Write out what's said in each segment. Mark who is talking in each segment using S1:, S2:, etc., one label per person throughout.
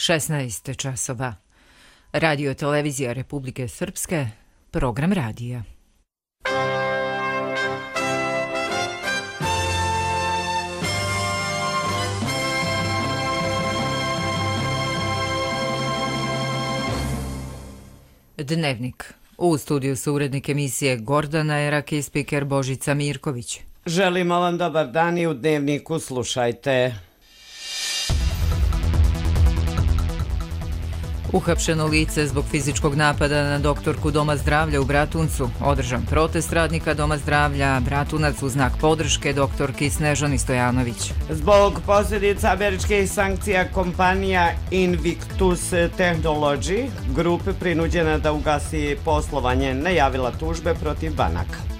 S1: 16 časova. Radio televizija Republike Srpske, program radija. Dnevnik. U studiju su urednik emisije Gordana Erak i spiker Božica Mirković.
S2: Želimo vam dobar dan i u Dnevniku slušajte.
S1: Uhapšeno lice zbog fizičkog napada na doktorku Doma zdravlja u Bratuncu. Održan protest radnika Doma zdravlja Bratunac u znak podrške doktorki Snežani Stojanović.
S2: Zbog posljedica američkih sankcija kompanija Invictus Technology grupe prinuđena da ugasi poslovanje najavila tužbe protiv banaka.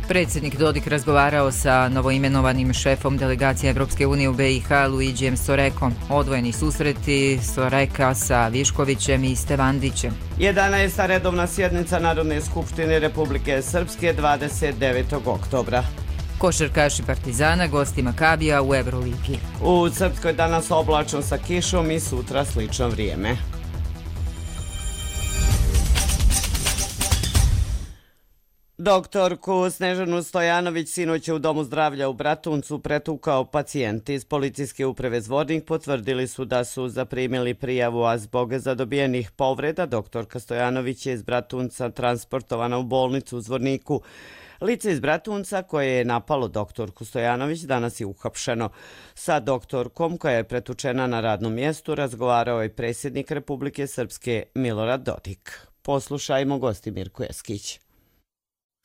S1: Predsjednik Dodik razgovarao sa novoimenovanim šefom delegacije Evropske unije u BiH Luigijem Sorekom. Odvojeni susreti Soreka sa Viškovićem i Stevandićem.
S2: 11. redovna sjednica Narodne skupštine Republike Srpske 29. oktobra.
S1: Košarkaši Partizana gosti Makabija u Euroligi.
S2: U Srpskoj danas oblačno sa kišom i sutra slično vrijeme. Doktorku Snežanu Stojanović sinoć je u Domu zdravlja u Bratuncu pretukao pacijent. Iz policijske uprave Zvornik potvrdili su da su zaprimili prijavu, a zbog zadobijenih povreda doktorka Stojanović je iz Bratunca transportovana u bolnicu u Zvorniku. Lice iz Bratunca koje je napalo doktorku Stojanović danas je uhapšeno. Sa doktorkom koja je pretučena na radnom mjestu razgovarao je predsjednik Republike Srpske Milorad Dodik. Poslušajmo gosti Mirko Eskić.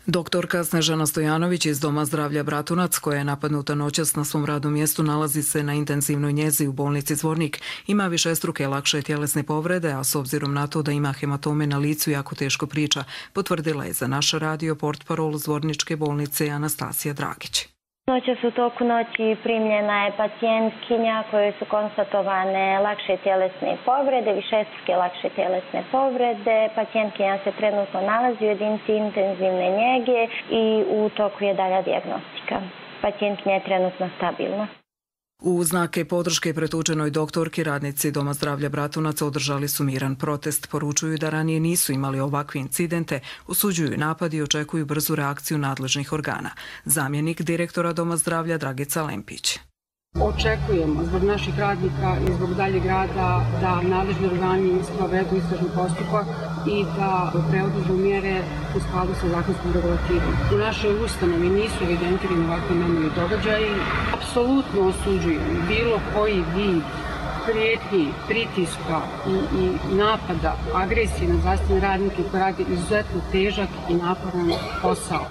S3: Doktorka Snežana Stojanović iz Doma zdravlja Bratunac, koja je napadnuta noćas na svom radnom mjestu, nalazi se na intenzivnoj njezi u bolnici Zvornik. Ima višestruke lakše tjelesne povrede, a s obzirom na to da ima hematome na licu jako teško priča, potvrdila je za naš radio portparol Zvorničke bolnice Anastasija Dragić.
S4: Noćas u toku noći primljena je pacijentkinja kojoj su konstatovane lakše tjelesne povrede, višestruke lakše tjelesne povrede. Pacijentkinja se trenutno nalazi u jedinici intenzivne njege i u toku je dalja dijagnostika. Pacijentkinja je trenutno stabilna.
S3: U znake podrške pretučenoj doktorki radnici Doma zdravlja Bratunac održali su miran protest. Poručuju da ranije nisu imali ovakve incidente, osuđuju napad i očekuju brzu reakciju nadležnih organa. Zamjenik direktora Doma zdravlja Dragica Lempić.
S5: Očekujemo zbog naših radnika i zbog daljeg rada da nadležni organi sprovedu istražni postupak i da preuzmu mjere u skladu sa zakonskom regulativom. U našoj ustanovi nisu evidentirani ovakvi nemili događaji. Apsolutno osuđujem bilo koji vid prijetnji, pritiska i napada, agresije na zdravstvene radnike koji radi izuzetno težak i naporan posao.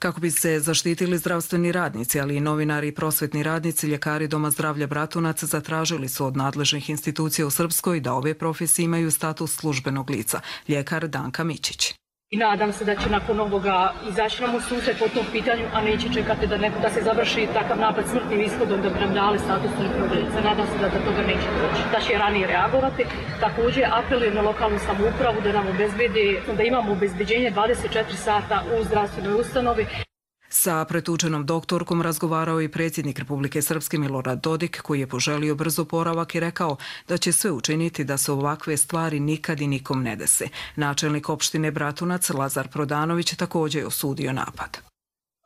S3: Kako bi se zaštitili zdravstveni radnici, ali i novinari i prosvetni radnici, ljekari Doma zdravlja Bratunac zatražili su od nadležnih institucija u Srpskoj da ove profesije imaju status službenog lica. Ljekar Danka Mićić.
S5: I nadam se da će nakon ovoga izaći nam u susret po tom pitanju, a neće čekati da se završi takav napad smrtnim ishodom da bi nam dali status službenog lica. Nadam se da do toga neće doći, da će ranije reagovati. Također apelujem na lokalnu samoupravu da nam obezbedi, da imamo obezbeđenje 24 sata u zdravstvenoj ustanovi.
S3: Sa pretučenom doktorkom razgovarao i predsjednik Republike Srpske Milorad Dodik, koji je poželio brzo oporavak i rekao da će sve učiniti da se ovakve stvari nikad i nikom ne dese. Načelnik opštine Bratunac Lazar Prodanović također je osudio napad.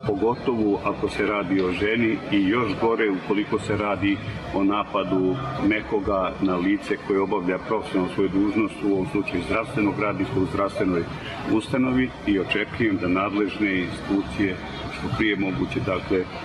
S6: Pogotovo ako se radi o ženi i još gore ukoliko se radi o napadu nekoga na lice koje obavlja profesionalnu svoju dužnost, u ovom slučaju zdravstvenog radnika u zdravstvenoj ustanovi, i očekujem da nadležne institucije što prije moguće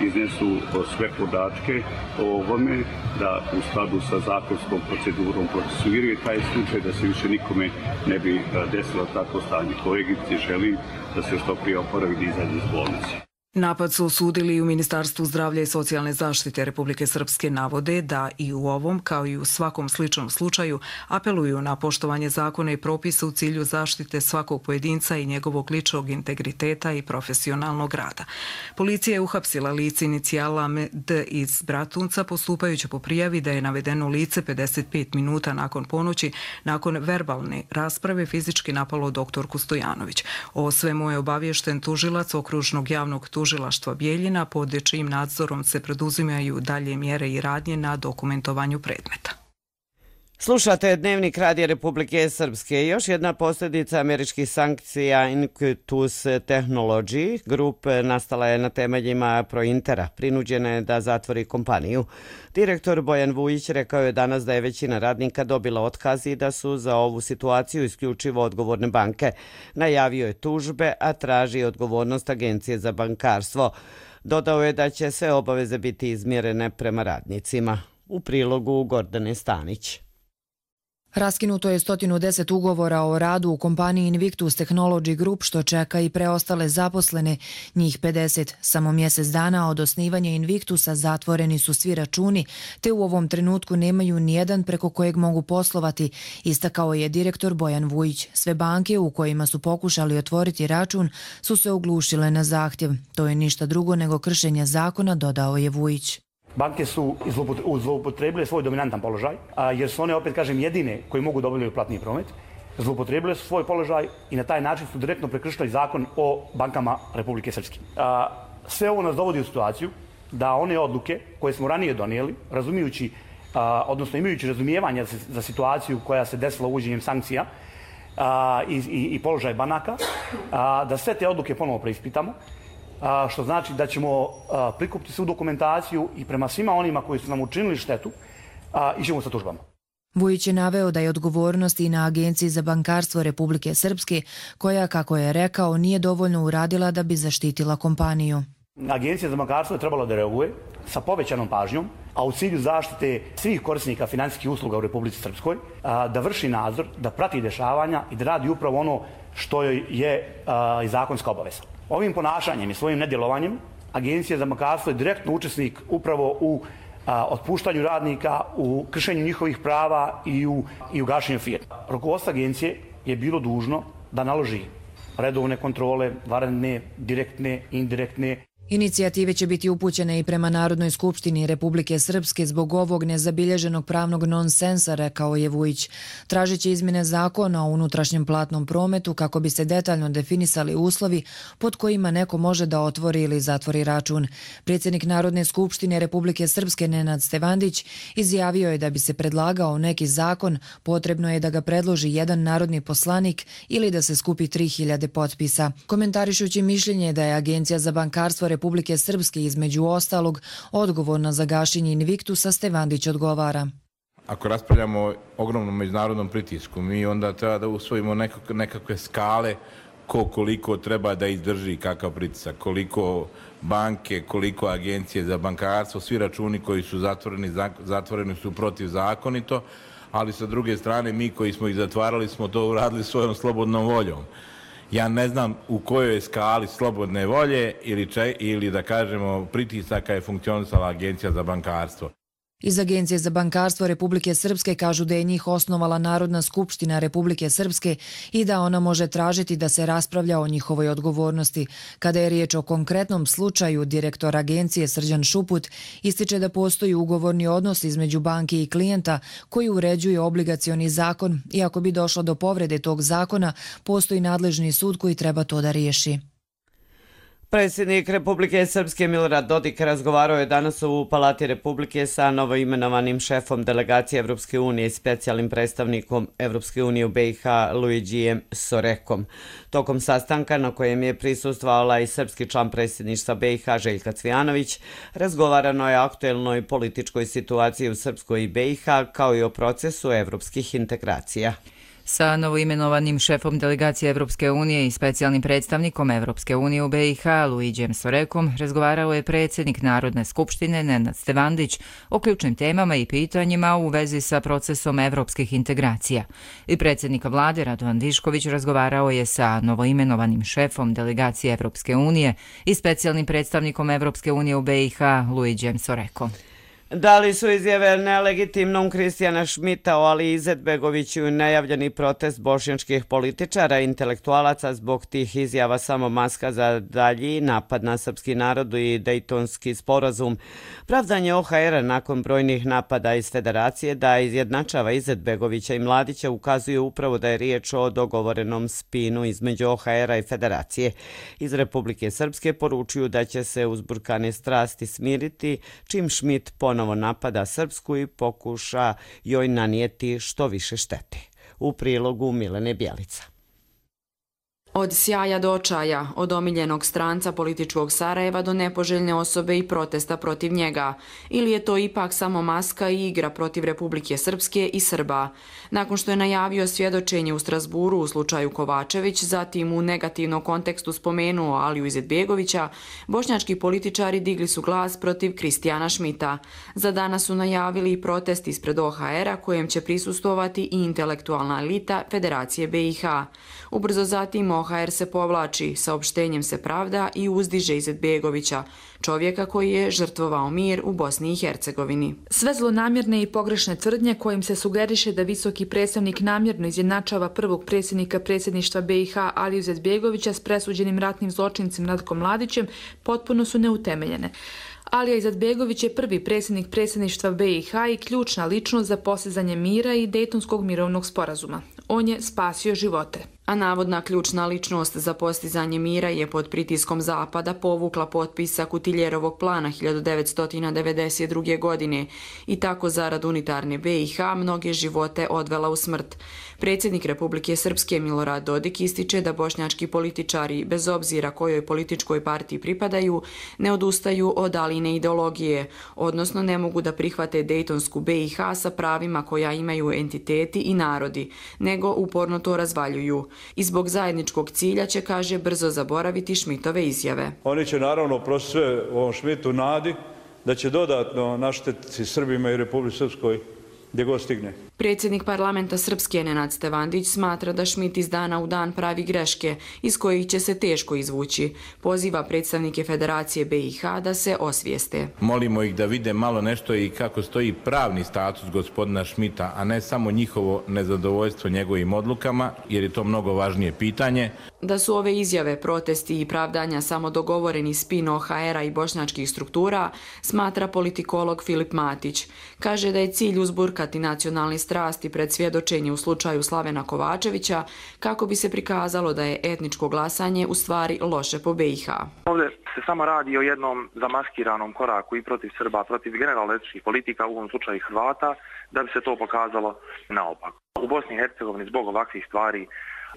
S6: iznesu sve podatke o ovome, da u skladu sa zakonskom procedurom procesuiraju taj slučaj, da se više nikome ne bi desilo takvo stanje. Kolegici želim da se što prije oporavi i izađe iz bolnice.
S3: Napad su osudili i u Ministarstvu zdravlja i socijalne zaštite Republike Srpske, navode da i u ovom, kao i u svakom sličnom slučaju, apeluju na poštovanje zakona i propisa u cilju zaštite svakog pojedinca i njegovog ličnog integriteta i profesionalnog rada. Policija je uhapsila lice inicijala D iz Bratunca postupajući po prijavi da je navedeno lice 55 minuta nakon ponoći, nakon verbalne rasprave, fizički napalo doktorku Stojanović. O svemu je obaviješten tužilac okružnog javnog tužilaštva Bijeljina, pod čijim nadzorom se preduzimaju dalje mjere i radnje na dokumentovanju predmeta.
S2: Slušate Dnevnik Radija Republike Srpske. Još jedna posljedica američkih sankcija Invictus Technology Group nastala je na temeljima Prointera. Prinuđena je da zatvori kompaniju. Direktor Bojan Vujić rekao je danas da je većina radnika dobila otkaz i da su za ovu situaciju isključivo odgovorne banke. Najavio je tužbe, a traži odgovornost Agencije za bankarstvo. Dodao je da će sve obaveze biti izmjerene prema radnicima. U prilogu Gordane Stanić.
S7: Raskinuto je 110 ugovora o radu u kompaniji Invictus Technology Group, što čeka i preostale zaposlene, njih 50. Samo mjesec dana od osnivanja Invictusa zatvoreni su svi računi, te u ovom trenutku nemaju nijedan preko kojeg mogu poslovati, istakao je direktor Bojan Vujić. Sve banke u kojima su pokušali otvoriti račun su se oglušile na zahtjev. To je ništa drugo nego kršenje zakona, dodao je Vujić.
S8: Banke su zloupotrebile svoj dominantan položaj, jer su one, opet kažem, jedine koji mogu da obavljaju platni promet. Zloupotrebile su svoj položaj i na taj način su direktno prekršili zakon o bankama Republike Srpske. Sve ovo nas dovodi u situaciju da one odluke koje smo ranije donijeli, razumijući, odnosno imajući razumijevanja za situaciju koja se desila uvođenjem sankcija i položaj banaka, da sve te odluke ponovo preispitamo, što znači da ćemo prikupiti svu dokumentaciju i prema svima onima koji su nam učinili štetu ićemo sa tužbama.
S7: Vujić je naveo da je odgovornost i na Agenciji za bankarstvo Republike Srpske, koja, kako je rekao, nije dovoljno uradila da bi zaštitila kompaniju.
S8: Agencija za bankarstvo je trebala da reaguje sa povećanom pažnjom, a u cilju zaštite svih korisnika financijskih usluga u Republici Srpskoj, da vrši nadzor, da prati dešavanja i da radi upravo ono što je i zakonska obaveza. Ovim ponašanjem i svojim nedjelovanjem Agencija za bankarstvo je direktno učesnik upravo u otpuštanju radnika, u kršenju njihovih prava i u gašenju firmi. Rukovodstvo agencije je bilo dužno da naloži redovne kontrole, vanredne, direktne, indirektne.
S7: Inicijative će biti upućene i prema Narodnoj skupštini Republike Srpske zbog ovog nezabilježenog pravnog nonsensa, rekao je Vujić. Tražit će izmjene zakona o unutrašnjem platnom prometu kako bi se detaljno definisali uslovi pod kojima neko može da otvori ili zatvori račun. Predsjednik Narodne skupštine Republike Srpske Nenad Stevandić izjavio je da bi se predlagao neki zakon, potrebno je da ga predloži jedan narodni poslanik ili da se skupi 3000 potpisa. Komentarišući mišljenje da je Agencija za bankarstvo Republike Srpske između ostalog odgovorna za gašenje Invictusa, Stevandić odgovara.
S9: Ako raspravljamo o ogromnom međunarodnom pritisku, mi onda treba da usvojimo nekakve skale koliko treba da izdrži kakav pritisak, koliko banke, koliko agencije za bankarstvo, svi računi koji su zatvoreni su protivzakonito, ali sa druge strane mi koji smo ih zatvarali smo to uradili svojom slobodnom voljom. Ja ne znam u kojoj skali slobodne volje ili da kažemo pritisaka je funkcionisala Agencija za bankarstvo.
S7: Iz Agencije za bankarstvo Republike Srpske kažu da je njih osnovala Narodna skupština Republike Srpske i da ona može tražiti da se raspravlja o njihovoj odgovornosti. Kada je riječ o konkretnom slučaju, direktor agencije Srđan Šuput ističe da postoji ugovorni odnos između banke i klijenta koji uređuje obligacioni zakon i ako bi došlo do povrede tog zakona, postoji nadležni sud koji treba to da riješi.
S2: Predsjednik Republike Srpske Milorad Dodik razgovarao je danas u Palati Republike sa novoimenovanim šefom delegacije Evropske unije i specijalnim predstavnikom Evropske unije u BiH Luigijem Sorekom. Tokom sastanka na kojem je prisustvovala i srpski član predsjedništva BiH Željka Cvijanović, razgovarano je o aktuelnoj političkoj situaciji u Srpskoj i BiH kao i o procesu evropskih integracija.
S1: Sa novoimenovanim šefom delegacije Evropske unije i specijalnim predstavnikom Evropske unije u BiH Luigijem Sorekom razgovarao je predsjednik Narodne skupštine Nenad Stevandić o ključnim temama i pitanjima u vezi sa procesom evropskih integracija. I predsjednik vlade Radovan Višković razgovarao je sa novoimenovanim šefom delegacije Evropske unije i specijalnim predstavnikom Evropske unije u BiH Luigijem Sorekom.
S2: Da li su izjave nelegitimnom Kristijana Šmita o Aliji Izetbegoviću i najavljeni protest bošnjačkih političara i intelektualaca zbog tih izjava samo maska za dalji napad na srpski narod i Dejtonski sporazum? Pravdanje OHR-a nakon brojnih napada iz federacije da izjednačava Izetbegovića i Mladića ukazuje upravo da je riječ o dogovorenom spinu između OHR-a i federacije. Iz Republike Srpske poručuju da će se uzburkane strasti smiriti čim Šmit ponovi ponovo napada Srpsku i pokuša joj nanijeti što više štete. U prilogu Milene Bjelica.
S10: Od sjaja do očaja, od omiljenog stranca političkog Sarajeva do nepoželjne osobe i protesta protiv njega. Ili je to ipak samo maska i igra protiv Republike Srpske i Srba? Nakon što je najavio svjedočenje u Strasburu u slučaju Kovačević, zatim u negativnom kontekstu spomenuo Aliju Izetbegovića, bošnjački političari digli su glas protiv Kristijana Šmita. Za danas su najavili i protest ispred OHR-a kojem će prisustvovati i intelektualna elita Federacije BiH. Ubrzo zatim OHR se povlači, saopštenjem se pravda i uzdiže Izetbegovića, čovjeka koji je žrtvovao mir u Bosni i Hercegovini.
S11: Sve zlonamjerne i pogrešne tvrdnje kojim se sugeriše da visoki predstavnik namjerno izjednačava prvog predsjednika predsjedništva BiH Aliju Izetbegovića s presuđenim ratnim zločincem Ratkom Mladićem potpuno su neutemeljene. Alija Izetbegović je prvi predsjednik predsjedništva BiH i ključna ličnost za postizanje mira i Dejtonskog mirovnog sporazuma. On je spasio živote.
S10: A navodna ključna ličnost za postizanje mira je pod pritiskom Zapada povukla potpisa Kutiljerovog plana 1992. godine i tako zarad unitarne BiH mnoge živote odvela u smrt. Predsjednik Republike Srpske Milorad Dodik ističe da bošnjački političari, bez obzira kojoj političkoj partiji pripadaju, ne odustaju od Aline ideologije, odnosno ne mogu da prihvate Dejtonsku BiH sa pravima koja imaju entiteti i narodi, nego uporno to razvaljuju. I zbog zajedničkog cilja će, kaže, brzo zaboraviti Šmitove izjave.
S12: Oni će naravno prosto sve u ovom Šmitu nadi da će dodatno naštetiti Srbima i Republici Srpskoj gdje god stigne.
S10: Predsjednik parlamenta Srpske Nenad Stevandić smatra da Šmit iz dana u dan pravi greške iz kojih će se teško izvući. Poziva predstavnike Federacije BiH da se osvijeste.
S9: Molimo ih da vide malo nešto i kako stoji pravni status gospodina Šmita, a ne samo njihovo nezadovoljstvo njegovim odlukama, jer je to mnogo važnije pitanje.
S10: Da su ove izjave, protesti i pravdanja samo dogovoreni spin OHR-a i bošnjačkih struktura, smatra politikolog Filip Matić. Kaže da je cilj uzburkati nacionalni strasti pred svjedočenje u slučaju Slavena Kovačevića kako bi se prikazalo da je etničko glasanje u stvari loše po BiH.
S13: Ovdje se samo radi o jednom zamaskiranom koraku i protiv Srba, protiv generalno etničkih politika, u ovom slučaju Hrvata, da bi se to pokazalo naopako. U Bosni i Hercegovini zbog ovakvih stvari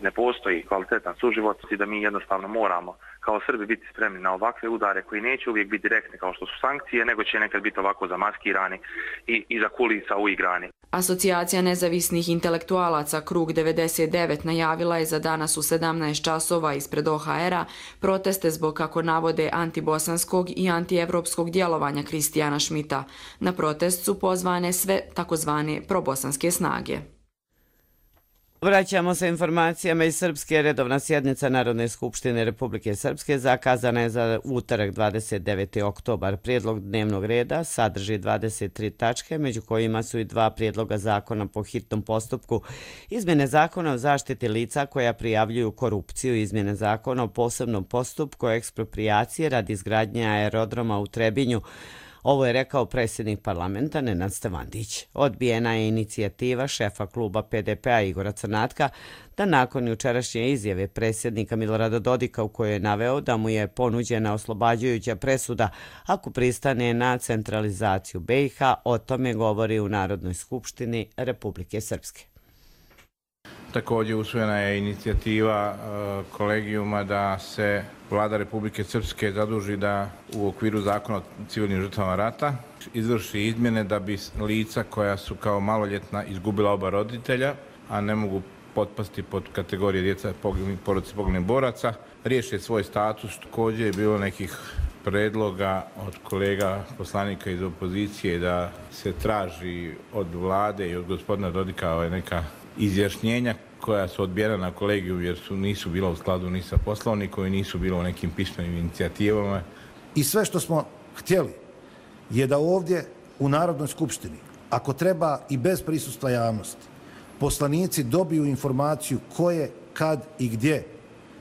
S13: ne postoji kvalitetan suživot i da mi jednostavno moramo kao Srbi biti spremni na ovakve udare koji neće uvijek biti direktne kao što su sankcije, nego će nekad biti ovako zamaskirani i iza kulisa uigrani.
S10: Asocijacija nezavisnih intelektualaca Krug 99 najavila je za danas u 17 časova ispred OHR-a proteste zbog, kako navode, antibosanskog i antievropskog djelovanja Kristijana Šmita. Na protest su pozvane sve takozvane probosanske snage.
S2: Vraćamo se informacijama iz Srpske. Redovna sjednica Narodne skupštine Republike Srpske zakazana je za utorak 29. oktobar. Prijedlog dnevnog reda sadrži 23 tačke, među kojima su i 2 prijedloga zakona po hitnom postupku, izmjene zakona o zaštiti lica koja prijavljuju korupciju, izmjene zakona o posebnom postupku eksproprijacije radi izgradnje aerodroma u Trebinju. Ovo je rekao predsjednik parlamenta Nenad Stevandić. Odbijena je inicijativa šefa kluba PDP-a Igora Crnatka da nakon jučerašnje izjave predsjednika Milorada Dodika u kojoj je naveo da mu je ponuđena oslobađajuća presuda ako pristane na centralizaciju BiH, o tome govori u Narodnoj skupštini Republike Srpske.
S9: Također usvojena je inicijativa kolegijuma da se Vlada Republike Srpske zaduži da u okviru zakona o civilnim žrtvama rata izvrši izmjene da bi lica koja su kao maloljetna izgubila oba roditelja, a ne mogu potpasti pod kategorije djeca porodice poginulih boraca, riješe svoj status. Također je bilo nekih predloga od kolega poslanika iz opozicije da se traži od vlade i od gospodina Dodika neka izjašnjenja koja su odbijena na kolegiju jer nisu bila u skladu ni sa poslovnikom i nisu bilo u nekim pismenim inicijativama.
S14: I sve što smo htjeli je da ovdje u Narodnoj skupštini, ako treba i bez prisustva javnosti, poslanici dobiju informaciju ko je, kad i gdje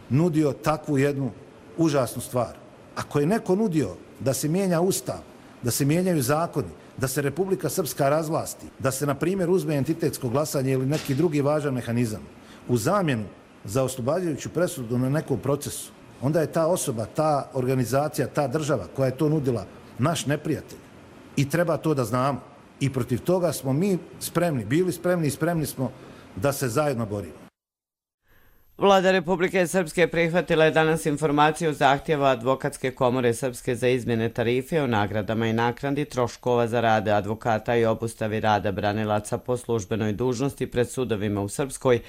S14: nudio takvu jednu užasnu stvar. Ako je neko nudio da se mijenja Ustav, da se mijenjaju zakoni, da se Republika Srpska razvlasti, da se, na primjer, uzme entitetsko glasanje ili neki drugi važan mehanizam u zamjenu za oslobađajuću presudu na nekom procesu, onda je ta osoba, ta organizacija, ta država koja je to nudila naš neprijatelj. i treba to da znamo. I protiv toga smo mi spremni, bili spremni i spremni smo da se zajedno borimo.
S2: Vlada Republike Srpske prihvatila je danas informaciju zahtjeva Advokatske komore Srpske za izmjene tarife o nagradama i naknadi troškova za rade advokata i obustavi rada branilaca po službenoj dužnosti pred sudovima u Srpskoj,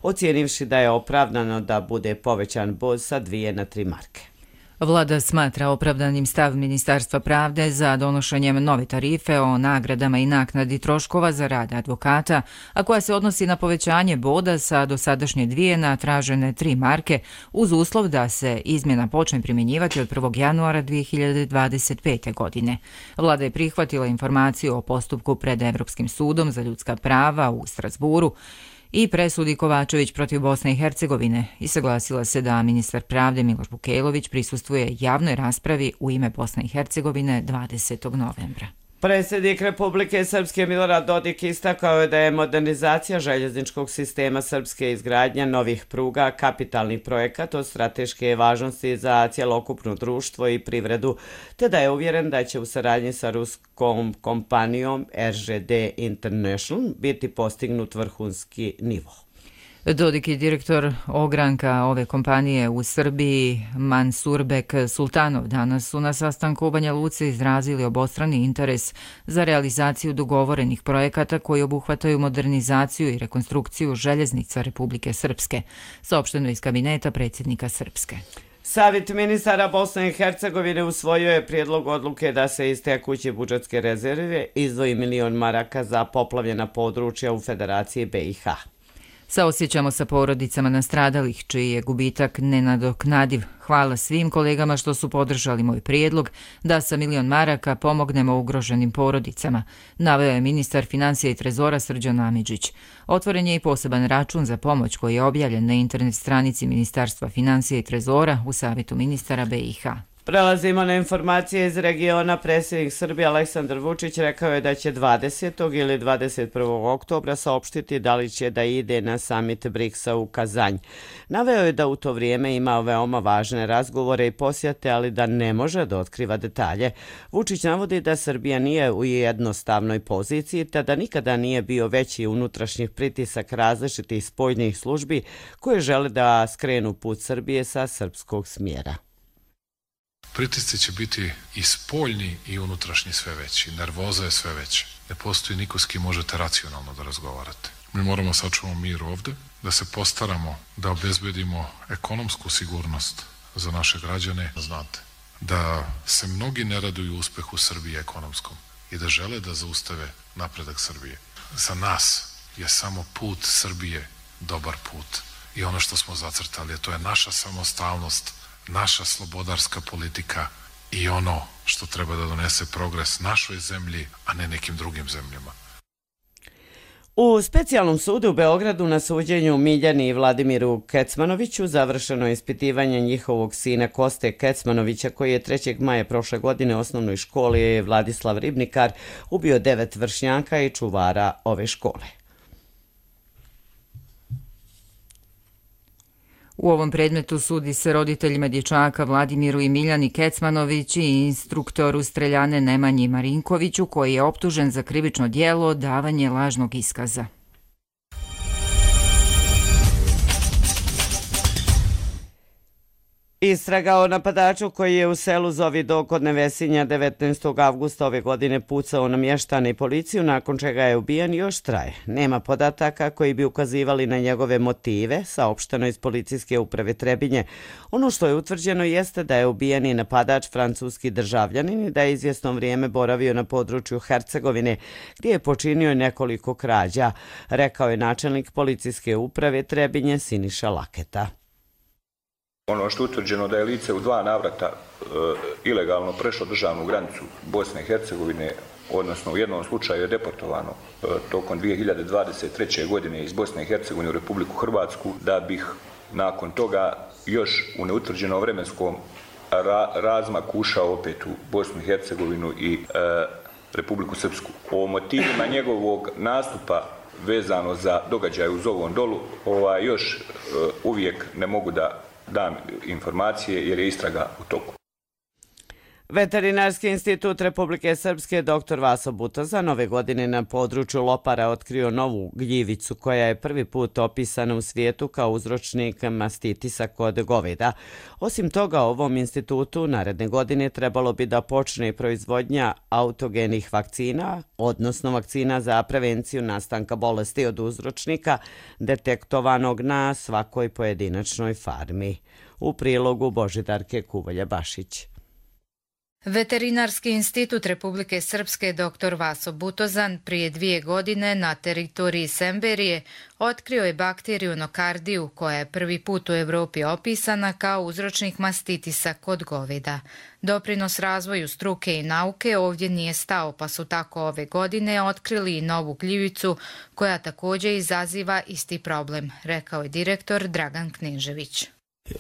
S2: ocijenivši da je opravdano da bude povećan bod sa 2 na 3 marke.
S1: Vlada smatra opravdanim stav Ministarstva pravde za donošenjem nove tarife o nagradama i naknadi troškova za rad advokata, a koja se odnosi na povećanje boda sa dosadašnje 2 na tražene 3 marke, uz uslov da se izmjena počne primjenjivati od 1. januara 2025. godine. Vlada je prihvatila informaciju o postupku pred Evropskim sudom za ljudska prava u Strasburu i presudi Kovačević protiv Bosne i Hercegovine i saglasila se da ministar pravde Miloš Vukajlović prisustvuje javnoj raspravi u ime Bosne i Hercegovine 20. novembra.
S2: Predsjednik Republike Srpske Milorad Dodik istakao je da je modernizacija željezničkog sistema Srpske izgradnja novih pruga kapitalni projekat od strateške važnosti za cjelokupno društvo i privredu, te da je uvjeren da će u saradnji sa ruskom kompanijom RŽD International biti postignut vrhunski nivo.
S1: Dodik i direktor ogranka ove kompanije u Srbiji, Mansurbek Sultanov, danas su na sastanku u Banja Luci izrazili obostrani interes za realizaciju dogovorenih projekata koji obuhvataju modernizaciju i rekonstrukciju željeznica Republike Srpske, saopšteno iz kabineta predsjednika Srpske.
S2: Savjet ministara Bosne i Hercegovine usvojio je prijedlog odluke da se iz tekuće budžetske rezerve izdvoji 1 milion maraka za poplavljena područja u Federaciji BiH.
S1: Saosjećamo sa porodicama nastradalih, čiji je gubitak nenadoknadiv. Hvala svim kolegama što su podržali moj prijedlog da sa 1 milion maraka pomognemo ugroženim porodicama, naveo je ministar financija i trezora Srđan Amidžić. Otvoren je i poseban račun za pomoć koji je objavljen na internet stranici Ministarstva financija i trezora u Savjetu ministara BiH.
S2: Prelazimo na informacije iz regiona. Predsjednik Srbije Aleksandar Vučić rekao je da će 20. ili 21. oktobra saopštiti da li će da ide na samit BRICS-a u Kazanj. Naveo je da u to vrijeme imao veoma važne razgovore i posjete, ali da ne može da otkriva detalje. Vučić navodi da Srbija nije u jednostavnoj poziciji, te da nikada nije bio veći unutrašnjih pritisak različitih spoljnih službi koje žele da skrenu put Srbije sa srpskog smjera.
S15: Pritisci će biti i spoljni i unutrašnji sve veći. Nervoza je sve veća. Ne postoji niko s kim možete racionalno da razgovarate. Mi moramo sačuvati mir ovde, da se postaramo da obezbedimo ekonomsku sigurnost za naše građane. Znate, da se mnogi ne raduju uspehu Srbije ekonomskom i da žele da zaustave napredak Srbije. Za nas je samo put Srbije dobar put. I ono što smo zacrtali, to je naša samostalnost, naša slobodarska politika i ono što treba da donese progres našoj zemlji, a ne nekim drugim zemljama.
S2: U specijalnom sudu u Beogradu na suđenju Miljani i Vladimiru Kecmanoviću završeno je ispitivanje njihovog sina Koste Kecmanovića, koji je 3. maja prošle godine u osnovnoj školi Vladislav Ribnikar ubio 9 vršnjaka i čuvara ove škole.
S1: U ovom predmetu sudi se roditeljima dječaka Vladimiru i Miljani Kecmanović i instruktoru streljane Nemanji Marinkoviću, koji je optužen za krivično djelo davanje lažnog iskaza.
S2: Istraga o napadaču koji je u selu Zovidok kod Nevesinja 19. avgusta ove godine pucao na mještane i policiju, nakon čega je ubijen, još traje. Nema podataka koji bi ukazivali na njegove motive, saopšteno iz policijske uprave Trebinje. Ono što je utvrđeno jeste da je ubijeni napadač francuski državljanin i da je izvjesno vrijeme boravio na području Hercegovine, gdje je počinio nekoliko krađa, rekao je načelnik policijske uprave Trebinje Siniša Laketa.
S16: Ono što je utvrđeno da je lice u 2 navrata ilegalno prešlo državnu granicu Bosne i Hercegovine, odnosno u jednom slučaju je deportovano tokom 2023. godine iz Bosne i Hercegovine u Republiku Hrvatsku, da bih nakon toga još u neutvrđenom vremenskom razmaku ušao opet u Bosnu i Hercegovinu i Republiku Srpsku. O motivima njegovog nastupa vezano za događaje u Zovom Dolu još uvijek ne mogu da dam informacije jer je istraga u toku.
S2: Veterinarski institut Republike Srpske dr. Vaso Butozan ove godine na području Lopara otkrio novu gljivicu koja je prvi put opisana u svijetu kao uzročnik mastitisa kod goveda. Osim toga, ovom institutu naredne godine trebalo bi da počne proizvodnja autogenih vakcina, odnosno vakcina za prevenciju nastanka bolesti od uzročnika detektovanog na svakoj pojedinačnoj farmi. U prilogu Božidarke Kuvolja-Bašić.
S17: Veterinarski institut Republike Srpske dr. Vaso Butozan prije 2 godine na teritoriji Semberije otkrio je bakteriju nokardiju koja je prvi put u Evropi opisana kao uzročnik mastitisa kod goveda. Doprinos razvoju struke i nauke ovdje nije stao, pa su tako ove godine otkrili i novu gljivicu koja također izaziva isti problem, rekao je direktor Dragan Knežević.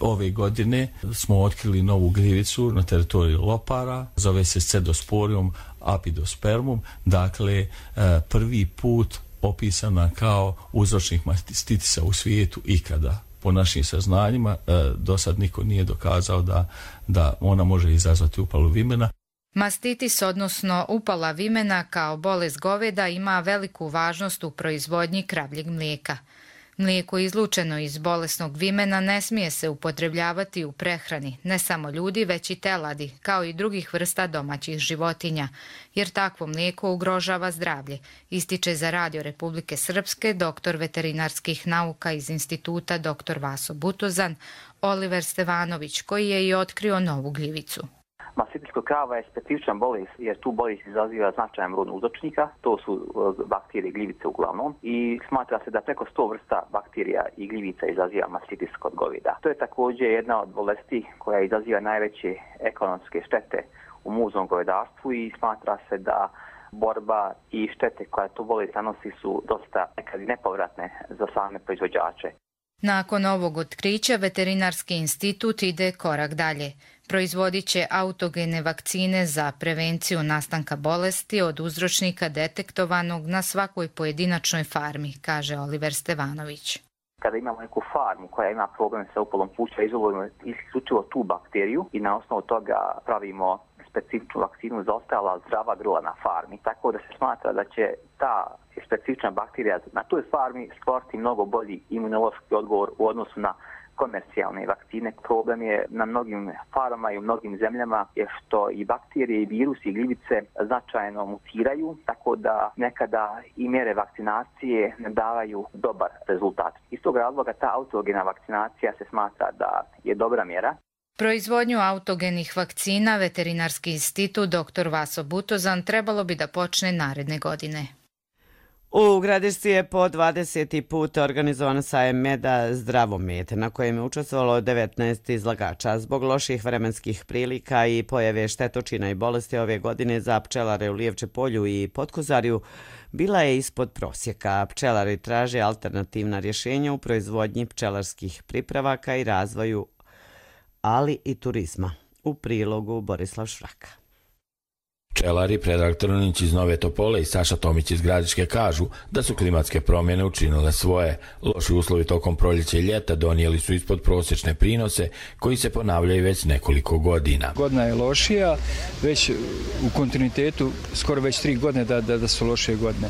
S18: Ove godine smo otkrili novu gljivicu na teritoriji Lopara, zove se Cedosporium apidospermum, dakle prvi put opisana kao uzročnik mastitisa u svijetu ikada. Po našim saznanjima do sad niko nije dokazao da ona može izazvati upalu vimena.
S17: Mastitis, odnosno upala vimena kao bolest goveda, ima veliku važnost u proizvodnji kravljeg mlijeka. Mlijeko izlučeno iz bolesnog vimena ne smije se upotrebljavati u prehrani, ne samo ljudi, već i teladi, kao i drugih vrsta domaćih životinja, jer takvo mlijeko ugrožava zdravlje, ističe za Radio Republike Srpske doktor veterinarskih nauka iz instituta dr. Vaso Butozan, Oliver Stevanović, koji je i otkrio novu gljivicu.
S19: Mastititis kod krava je specifičan bolest jer tu bolest izaziva značajan broj uzročnika, to su bakterije gljivice uglavnom i smatra se da preko 100 vrsta bakterija i gljivica izaziva mastitis kod goveda. To je također jedna od bolesti koja izaziva najveće ekonomske štete u muznom govedarstvu i smatra se da borba i štete koja tu bolest nanosi su dosta nekad nepovratne za same proizvođače.
S17: Nakon ovog otkrića Veterinarski institut ide korak dalje. Proizvodit će autogene vakcine za prevenciju nastanka bolesti od uzročnika detektovanog na svakoj pojedinačnoj farmi, kaže Oliver Stevanović.
S19: Kada imamo neku farmu koja ima problem sa upalom pluća, izolujemo isključivo tu bakteriju i na osnovu toga pravimo specifičnu vakcinu za ostala zdrava grla na farmi. Tako da se smatra da će ta specifična bakterija na toj farmi stvoriti mnogo bolji imunološki odgovor u odnosu na komercijalne vakcine. Problem je na mnogim farmama i u mnogim zemljama je što i bakterije i virusi i gljivice značajno mutiraju, tako da nekada i mjere vakcinacije ne davaju dobar rezultat. Iz tog razloga ta autogena vakcinacija se smatra da je dobra mjera.
S17: Proizvodnju autogenih vakcina Veterinarski institut dr. Vaso Butozan trebalo bi da počne naredne godine.
S2: U Gradišci je po 20. put organizovan sajem meda Zdravo med, na kojem je učestvovalo 19 izlagača. Zbog loših vremenskih prilika i pojave štetočina i bolesti ove godine za pčelare u Lijevče polju i Potkozarju bila je ispod prosjeka. Pčelari traže alternativna rješenja u proizvodnji pčelarskih pripravaka i razvoju, ali i turizma. U prilogu Borislav Švraka.
S20: Pčelari Predrag Trninić iz Nove Topole i Saša Tomić iz Gradiške kažu da su klimatske promjene učinile svoje. Loši uslovi tokom proljeća i ljeta donijeli su ispod prosječne prinose koji se ponavljaju već nekoliko godina.
S21: Godina je lošija, već u kontinuitetu skoro već 3 godine da su lošije godine.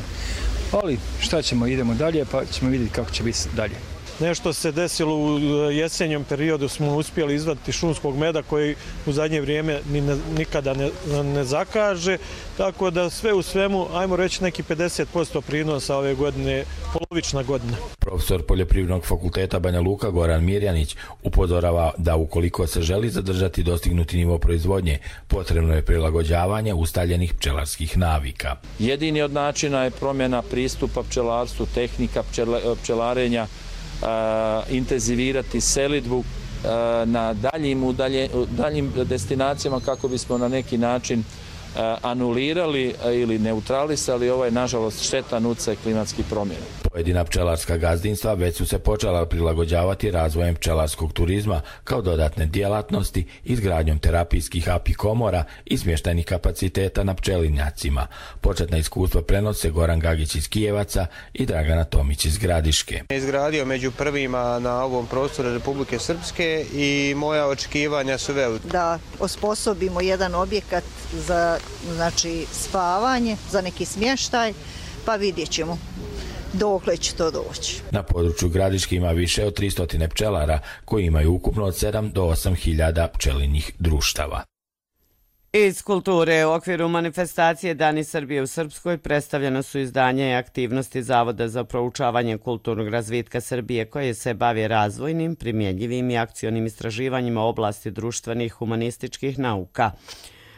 S21: Ali šta ćemo, idemo dalje pa ćemo vidjeti kako će biti dalje.
S22: Nešto se desilo u jesenjem periodu, smo uspjeli izvaditi šumskog meda koji u zadnje vrijeme nikada ne zakaže, tako da sve u svemu, ajmo reći neki 50% prinosa ove godine, polovična godina.
S20: Profesor Poljoprivrednog fakulteta Banja Luka Goran Mirjanić upozorava da ukoliko se želi zadržati dostignuti nivo proizvodnje, potrebno je prilagođavanje ustaljenih pčelarskih navika.
S23: Jedini od načina je promjena pristupa pčelarstvu, tehnika pčelarenja, intenzivirati selidbu na daljim destinacijama kako bismo na neki način anulirali ili neutralisali ovaj, nažalost, štetan utjecaj klimatskih promjena.
S20: Pojedina pčelarska gazdinstva već su se počela prilagođavati razvojem pčelarskog turizma kao dodatne djelatnosti, izgradnjom terapijskih apikomora i smještajnih kapaciteta na pčelinjacima. Početna iskustva prenose Goran Gagić iz Kijevaca i Dragana Tomić iz Gradiške.
S4: Izgradio među prvima na ovom prostoru Republike Srpske i moja očekivanja su velika.
S5: Da osposobimo jedan objekat za spavanje, za neki smještaj, pa vidjet ćemo dokle će to doći.
S20: Na području Gradiške ima više od 300 pčelara koji imaju ukupno od 7 do 8 hiljada pčelinjih društava.
S2: Iz kulture u okviru manifestacije Dani Srbije u Srpskoj predstavljeno su izdanja i aktivnosti Zavoda za proučavanje kulturnog razvitka Srbije koje se bavi razvojnim, primjenjivim i akcionim istraživanjima u oblasti društvenih humanističkih nauka.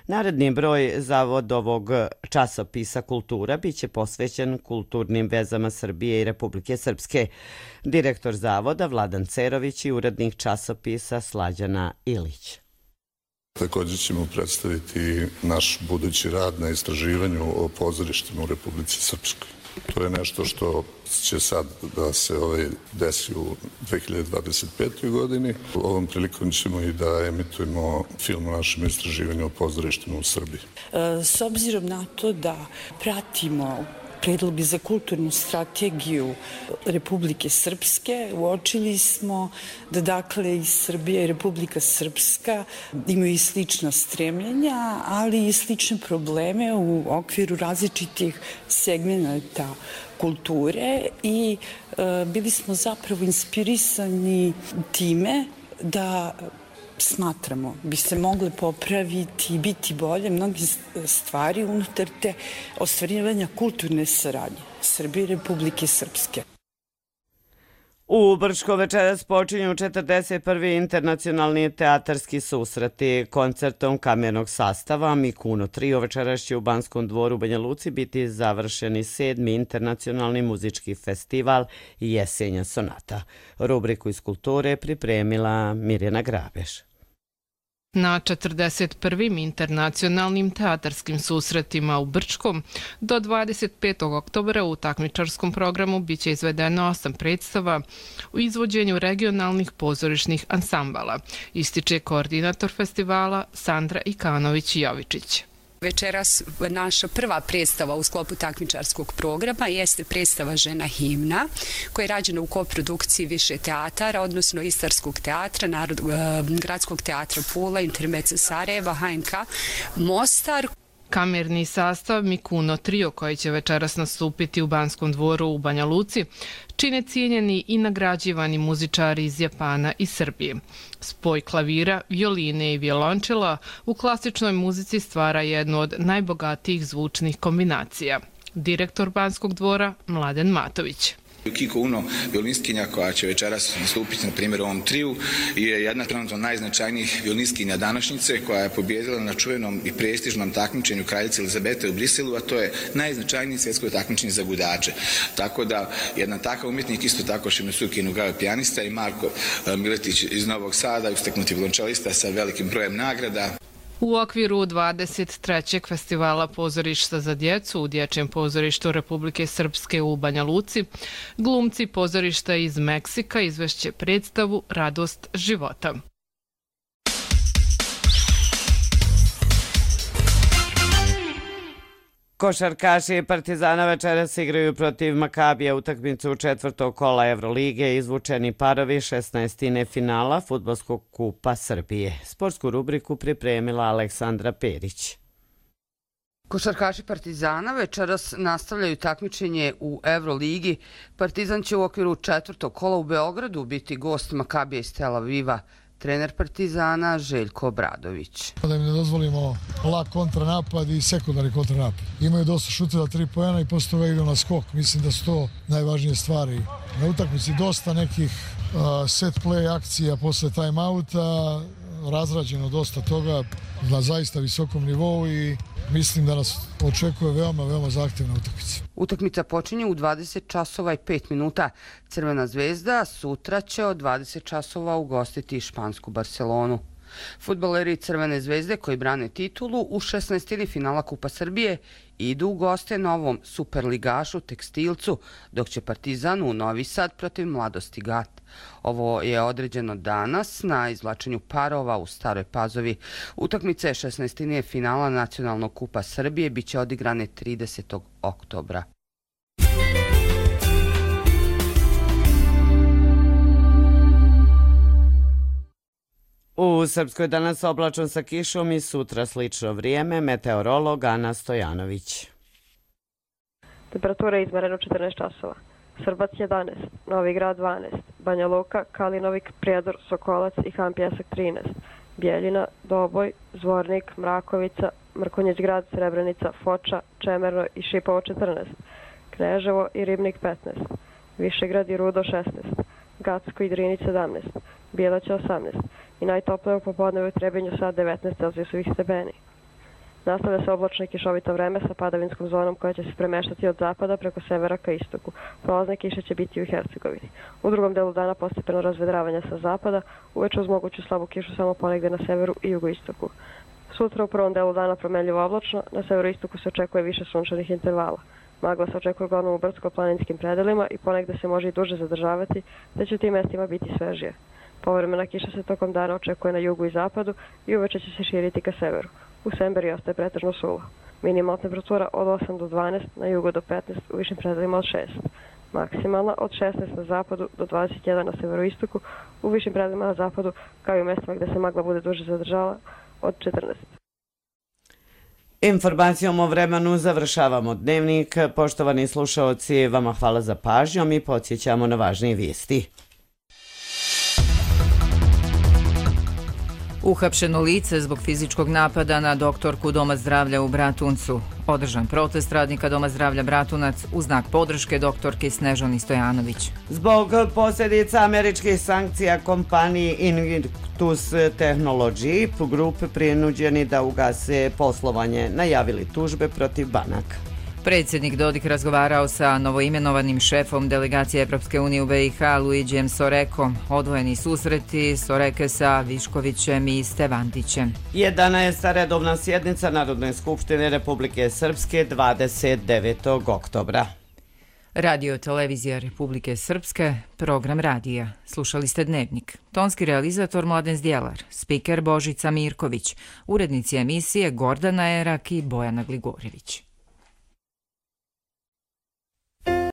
S2: Naredni broj Zavodovog časopisa Kultura biće posvećen kulturnim vezama Srbije i Republike Srpske. Direktor Zavoda Vladan Cerović i urednik časopisa Slađana Ilić.
S6: Također ćemo predstaviti naš budući rad na istraživanju o pozorištima u Republici Srpskoj. To je nešto što će sad da se desi u 2025. godini. Ovom prilikom ćemo i da emitujemo film o našem istraživanju o pozorištima u Srbiji.
S24: S obzirom na to da pratimo predloge za kulturnu strategiju Republike Srpske, uočili smo da dakle i Srbija i Republika Srpska imaju i slična stremljenja, ali i slične probleme u okviru različitih segmenata kulture i bili smo zapravo inspirisani time da smatramo bi se mogle popraviti i biti bolje mnogi stvari unutar te ostvarivanja kulturne saradnje Srbije i Republike Srpske.
S2: U Brčko večeras počinju 41. internacionalni teatarski susreti. Koncertom kamernog sastava Mikuno Trio večeras će u Banskom dvoru u Banja Luci biti završeni 7. internacionalni muzički festival Jesenja sonata. Rubriku iz kulture pripremila Mirjana Grabeš.
S25: Na 41. internacionalnim teatarskim susretima u Brčkom do 25. oktobra u takmičarskom programu biće izvedeno 8 predstava u izvođenju regionalnih pozorišnih ansambala, ističe koordinator festivala Sandra Ikanović-Jovičić.
S26: Večeras naša prva predstava u sklopu takmičarskog programa jeste predstava Žena himna, koja je rađena u koprodukciji više teatara, odnosno Istarskog teatra, Gradskog teatra Pula, Intermezzo Sarajeva, HNK Mostar.
S25: Kamerni sastav Mikuno Trio, koji će večeras nastupiti u Banskom dvoru u Banja Luci, čine cijenjeni i nagrađivani muzičari iz Japana i Srbije. Spoj klavira, violine i violončela u klasičnoj muzici stvara jednu od najbogatijih zvučnih kombinacija. Direktor Banskog dvora Mladen Matović.
S27: Kiko Uno, violinskinja koja će večeras nastupiti na primjer u ovom triju, je jedna trenutno najznačajnijih violinskinja današnjice koja je pobjedila na čuvenom i prestižnom takmičenju kraljice Elizabete u Briselu, a to je najznačajniji svjetsko takmičenje za gudače. Tako da jedan takav umjetnik, isto tako Šimesuki Nugave pijanista i Marko Miletić iz Novog Sada, usteknuti violončelista sa velikim brojem nagrada.
S25: U okviru 23. festivala pozorišta za djecu u Dječjem pozorištu Republike Srpske u Banja Luci, glumci pozorišta iz Meksika izvešće predstavu Radost života.
S2: Košarkaši Partizana večeras igraju protiv Makabija utakmicu četvrtog kola Evrolige, izvučeni parovi 16. finala Fudbalskog kupa Srbije. Sportsku rubriku pripremila Aleksandra Perić.
S28: Košarkaši Partizana večeras nastavljaju takmičenje u Evroligi. Partizan će u okviru četvrtog kola u Beogradu biti gost Makabija iz Tel Aviva. Trener Partizana Željko Obradović.
S29: Da im ne dozvolimo lak kontranapad i sekundarni kontranapad. Imaju dosta šuteva 3 poena i posle toga idu na skok. Mislim da su to najvažnije stvari. Na utakmici dosta nekih set play akcija posle time-outa, razrađeno dosta toga na zaista visokom nivou i mislim da nas očekuje veoma zahtjevna utakmica.
S28: Utakmica počinje u 20 časova i 5 minuta. Crvena zvezda sutra će od 20 časova ugostiti špansku Barcelonu. Fudbaleri Crvene zvezde koji brane titulu u 16. finala Kupa Srbije idu u goste novom superligašu Tekstilcu, dok će Partizan u Novi Sad protiv Mladosti Gat. Ovo je određeno danas na izvlačenju parova u Staroj Pazovi. Utakmice 16. finala Nacionalnog Kupa Srbije biće odigrane 30. oktobra.
S2: U Srpskoj danas oblačno sa kišom i sutra slično vrijeme, meteorolog Ana Stojanović.
S3: Temperatura je izmerena u 14 časova. Srbac 11, Novi Grad 12, Banja Luka, Kalinovik, Prijedor, Sokolac i Han Pjesak 13, Bijeljina, Doboj, Zvornik, Mrakovica, Mrkonjić Grad, Srebrenica, Foča, Čemerno i Šipovo 14, Kneževo i Ribnik 15, Višegrad i Rudo 16, Gacko i Drinić 17, Bjelaća 18 i najtoplije u popodnevu u Trebinju sad 19 Celzijusovih stepeni. Nastavlja se oblačno i kišovito vreme sa padavinskom zonom koja će se premeštati od zapada preko severa ka istoku. Prolazne kiše će biti u Hercegovini. U drugom delu dana postepeno razvedravanje sa zapada, uveče uz moguću slabu kišu samo ponegde na severu i jugoistoku. Sutra u prvom delu dana promenljivo oblačno, na severoistoku se očekuje više sunčanih intervala. Magla se očekuje uglavnom u brdsko-planinskim predelima i ponegde se može i duže zadržavati, te će u tim mestima biti svežije. Povremena kiša se tokom dana očekuje na jugu i zapadu i uveče će se širiti ka severu. U Semberi ostaje pretežno suvo. Minimalna temperatura od 8 do 12, na jugu do 15, u višim predelima od 6. Maksimalna od 16 na zapadu do 21 na severoistoku, u višim predelima na zapadu, kao i u mestima gde se magla bude duže zadržala, od 14.
S2: Informacijom o vremenu završavamo dnevnik. Poštovani slušaoci, vama hvala za pažnjom i podsjećamo na važnije vijesti.
S1: Uhapšeno lice zbog fizičkog napada na doktorku Doma zdravlja u Bratuncu. Održan protest radnika Doma zdravlja Bratunac u znak podrške doktorki Snežani Stojanović.
S2: Zbog posljedica američkih sankcija kompaniji Invictus Technology, Group prinuđeni da ugase poslovanje, najavili tužbe protiv banaka.
S1: Predsjednik Dodik razgovarao sa novoimenovanim šefom delegacije Evropske unije u BiH Luiđijem Sorekom. Odvojeni susreti Soreke sa Viškovićem i Stevandićem.
S2: 11. redovna sjednica Narodne skupštine Republike Srpske 29. oktobra.
S1: Radio televizija Republike Srpske, program radija. Slušali ste Dnevnik. Tonski realizator Mladen Zdjelar, spiker Božica Mirković, urednici emisije Gordana Erak i Bojana Gligorjević.